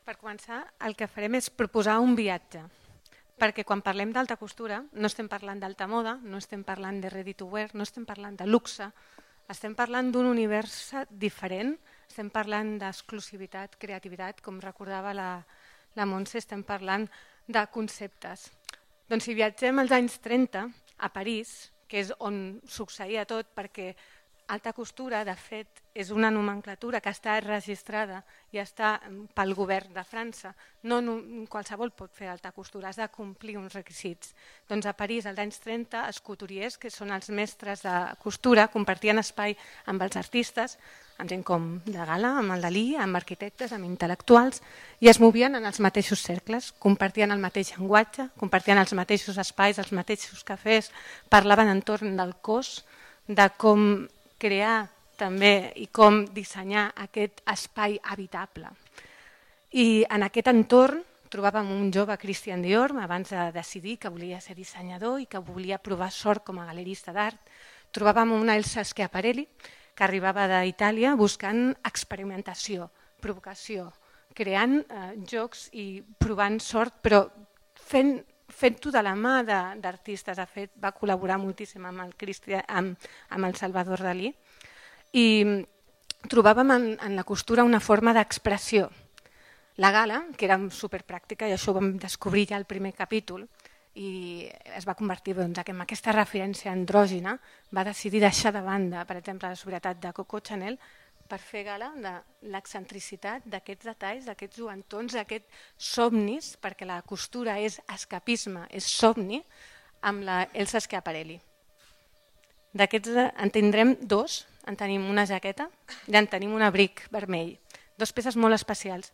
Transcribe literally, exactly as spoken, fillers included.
Per començar, el que farem és proposar un viatge, perquè quan parlem d'alta costura no estem parlant d'alta moda, no estem parlant de ready to wear, no estem parlant de luxe, estem parlant d'un univers diferent, estem parlant d'exclusivitat, creativitat, com recordava la, la Montse, estem parlant de conceptes. Doncs si viatgem als anys trenta a París, que és on succeïa tot, perquè alta costura, de fet, és una nomenclatura que està registrada i està pel govern de França. No qualsevol pot fer alta costura, has de complir uns requisits. Doncs a París, als anys trenta, els couturiers, que són els mestres de costura, compartien espai amb els artistes, amb gent com de Gala, amb el Dalí, amb arquitectes, amb intel·lectuals, i es movien en els mateixos cercles, compartien el mateix llenguatge, compartien els mateixos espais, els mateixos cafès, parlaven entorn del cos, de com crear també i com dissenyar aquest espai habitable. I en aquest entorn trobàvem un jove Christian Dior abans de decidir que volia ser dissenyador i que volia provar sort com a galerista d'art. Trobàvem una Elsa Schiaparelli que arribava d'Itàlia buscant experimentació, provocació, creant eh, jocs i provant sort, però fent fent-ho de la mà d'artistes. De fet, va col·laborar moltíssim amb el, Cristian, amb, amb el Salvador Dalí i trobàvem en, en la costura una forma d'expressió. La Gala, que era superpràctica, i això ho vam descobrir ja al primer capítol, i es va convertir doncs, en aquesta referència andrògina, va decidir deixar de banda, per exemple, la sobrietat de Coco Chanel per fer gala de l'excentricitat d'aquests detalls, d'aquests joantons, d'aquests somnis, perquè la costura és escapisme, és somni, amb la Elsa Schiaparelli. D'aquests en tindrem dos, en tenim una jaqueta i en tenim un abric vermell, dues peces molt especials.